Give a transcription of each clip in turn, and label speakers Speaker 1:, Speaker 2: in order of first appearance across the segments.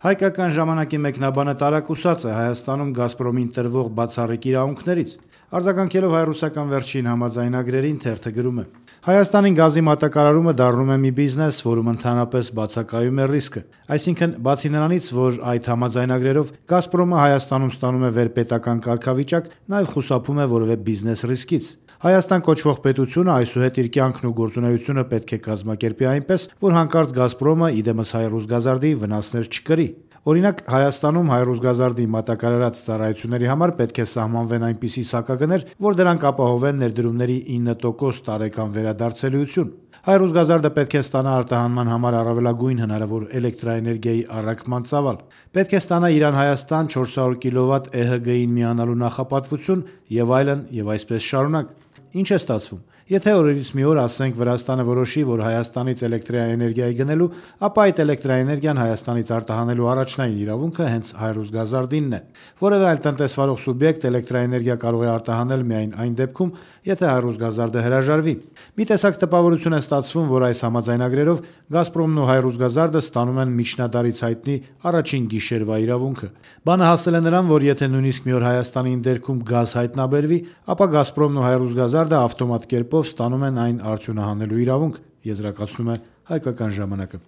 Speaker 1: Հայկական ժամանակի մեկնաբանը տարակուսած է Հայաստանում «Գազպրոմին» տրվող բացառիկ իրավունքներից։ Արձագանքելով հայ-ռուսական վերջին համաձայնագրերին, թերթը գրում է. Հայաստանին գազի մատակարարումը դառնում է մի բիզնես, որում ընդհանրապես բացակայում է ռիսկը։ Այսինքն, բացի նրանից, որ այդ համաձայնագրերով «Գազպրոմը» Հայաստանում ստանում է վերպետական կարգավիճակ, նաև խուսափում է որևէ բիզնես ռիսկից։ Հայաստան կոչվող պետությունը այսուհետ իր կյանքն ու գործունեությունը պետք է կազմակերպի այնպես, որ հանկարծ «Գազպրոմը» իդեմս «Հայ-Ռուսգազարդի» վնասներ չկրի։ Օրինակ, Հայաստանում «Հայ-Ռուսգազարդի» մատակարարած ծառայությունների համար պետք է սահմանվեն այնպիսի սակագներ, որ դրանք ապահովեն ներդրումների 9% տարեկան վերադարձելիություն։ «Հայ-Ռուսգազարդը» պետք է ստանա արտահանման համար առավելագույն հնարավոր էլեկտրաէներգիայի առաքման ծավալ։ Պետք է ստանա Իրան-Հայաստան 400 կՎտ ԵՀԳ-ին միանալու նախապատվություն եւ այլն, եւ այսպես շարունակ։ Ինչ է ստացվում։ Եթե օրերից մի օր, ասենք, Վրաստանը որոշի, որ Հայաստանից էլեկտրաէներգիա գնելու, ապա այդ էլեկտրաէներգիան Հայաստանից արտահանելու առաջնային իրավունքը հենց «Հայ-Ռուսգազարդինն» է։ Որևէ այլ տնտեսվարող սուբյեկտ էլեկտրաէներգիա կարող է արտահանել միայն այն դեպքում, եթե «Հայ-Ռուսգազարդը» հրաժարվի։ Մի տեսակ տպավորություն է ստացվում, որ այս համաձայնագրերով «Գազպրոմն» ու «Հայ-Ռուսգազարդը» ստանում են միջնադարից հայտնի առաջին գիշերվա իրավունքը։ Բանը հասել է նրան, որ եթե նույնիսկ մի օր Հայաստանի ընդերքում գազ հայտնաբերվի, ապա «Գազպրոմն» ու «Հայ-Ռուսգազարդը» ավտոմատ կերպով ստանում են այն արդյունահանելու իրավունք, եզրակացնում է Հայկական ժամանակը։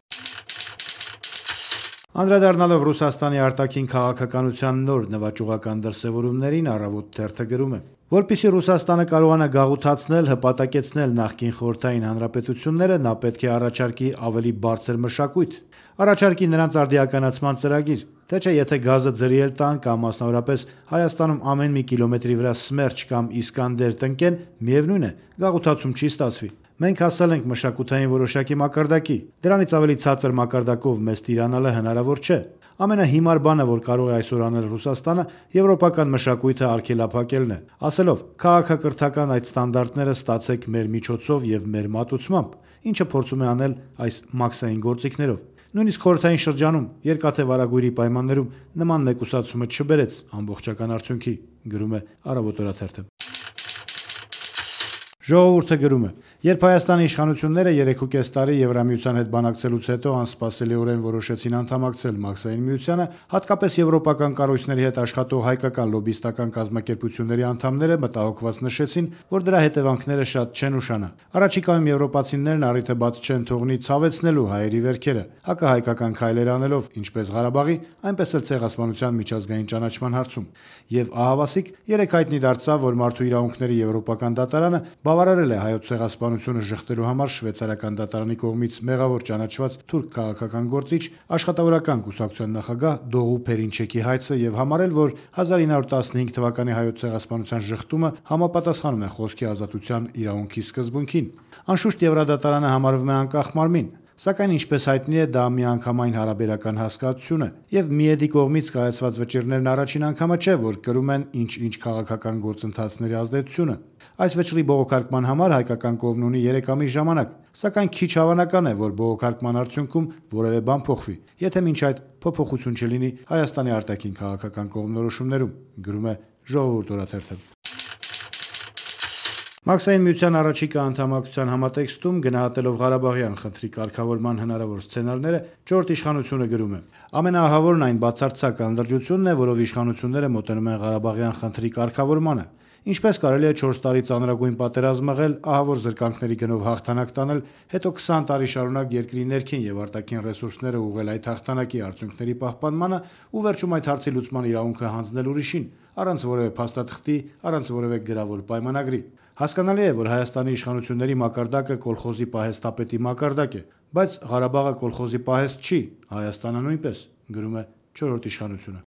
Speaker 1: Անդրադառնալով Ռուսաստանի արտաքին քաղաքականության նոր նվաճողական դրսևորումներին, Առավոտ թերթը գրում է. Որպեսզի Ռուսաստանը կարողանա գաղութացնել, հպատակեցնել նախկին խորհրդային հանրապետությունները, նա պետք է առաջարկի ավելի բարձր մշակույթ, առաջարկի նրանց արդիականացման ծրագիր, թե չէ եթե գազը ձրի էլ տան կամ մասնավորապես Հայաստանում ամեն մի կիլոմետրի վրա Սմերջ կամ Իսկանդեր տնկեն, միևնույն է, գաղութացում չի ստացվի։ Մենք հասել ենք մշակութային որոշակի մակարդակի, դրանից ավելի ցածր մակարդակով մեզ տիրանալը հնարավոր չէ։ Ամենահիմար բանը, որ կարող է այսօր անել Ռուսաստանը, եվրոպական մշակույթը արգելափակելն է, ասելով՝ քաղաքակրթական այդ ստանդարտները ստացեք մեր միջոցով եւ մեր մատուցմամբ, ինչը փորձում է անել այս մաքսային գործիքներով։ Նույնիսկ խորհրդային շրջանում, երկաթե վարագույրի պայմաններում նման մեկուսացումը չբերեց ամբողջական արդյունքի, գրում է Առավոտ օրաթերթը։ Ժողովուրդը գրում է. երբ Հայաստանի իշխանությունները 3.5 տարի Եվրամիության հետ բանակցելուց հետո անսպասելիորեն որոշեցին անդամակցել Մաքսային միությանը, հատկապես եվրոպական կառույցների հետ աշխատող հայկական լոբիստական կազմակերպությունների անդամները մտահոգված նշեցին, որ դրա հետևանքները շատ չեն ուշանա։ Առաջիկայում եվրոպացիներն առիթը բաց չեն թողնի ցավեցնելու հայերի վերքերը, հակահայկական քայլեր անելով ինչպես Ղարաբաղի, այնպես էլ Ցեղասպանության միջազգային ճանաչման հարցում։ Եվ ահավասիկ երեք հայտնի դարձավ, որ Մարդու իրավունքների եվրոպական դատարանը բավարարել է հայոց ցեղասպանությունը շղթելու համար շվեյցարական դատարանի կողմից մեղավոր ճանաչված թուրք քաղաքական գործիչ, աշխատավորական կուսակցության նախագահ Դողու Փերինչեկի հայցը եւ համարել, որ 1915 թվականի հայոց ցեղասպանության շղթումը համապատասխանում է խոսքի ազատության իրավունքի սկզբունքին։ Անշուշտ Եվրադատարանը համարվում է անկախ մարմին, սակայն ինչպես հայտնի է, դա միանգամայն հարաբերական հասկացություն է, եւ Միեդի կողմից կայացված վճիռներն առաջին անգամը չէ, որ կրում են ինչ քաղաքական գործընթացների ազդեցությունը։ Այս վճռի բողոքարկման համար հայկական կողմն ունի 3 ամիս ժամանակ, սակայն քիչ հավանական է, որ բողոքարկման արդյունքում որևէ բան փոխվի, եթե մինչ այդ փոփոխություն չլինի Հայաստանի արտաքին քաղաքական կողմնորոշումներում, գրում է Ժողովուրդ օրաթերթը։ Մաքսային միության առաջիկա անդամակցության համատեքստում գնահատելով Ղարաբաղյան խնդրի կարգավորման հնարավոր սցենարները, չորրորդ իշխանությունը գրում է. ամենաահավորն այն բացարձակ անլրջությունն է, որով իշխանությունները մոտենում են Ղարաբաղյան խնդրի կարգավորմանը։ Ինչպես կարելի է 4 տարի ծանրագույն պատերազմ մղել, ահավոր զրկանքների գնով հաղթանակ տանել, հետո 20 տարի շարունակ երկրի ներքին եւ արտաքին ռեսուրսները ուղղել այդ հաղթանակի արդյունքների պահպանմանը ու վերջում այդ հարցի լուծման իրավունքը հանձնել ուրիշին, առանց որևէ փաստաթղթի, առանց որևէ գրավոր պայմանագրի։ Հասկանալի է, որ Հայաստանի իշխանությունների մակարդակը կոլխոզի պահեստապետի մակարդակ է, բայց Ղարաբաղը կոլխոզի պահեստ չի, Հայաստանը նույնպես, գրում է չորրորդ իշխանությունը։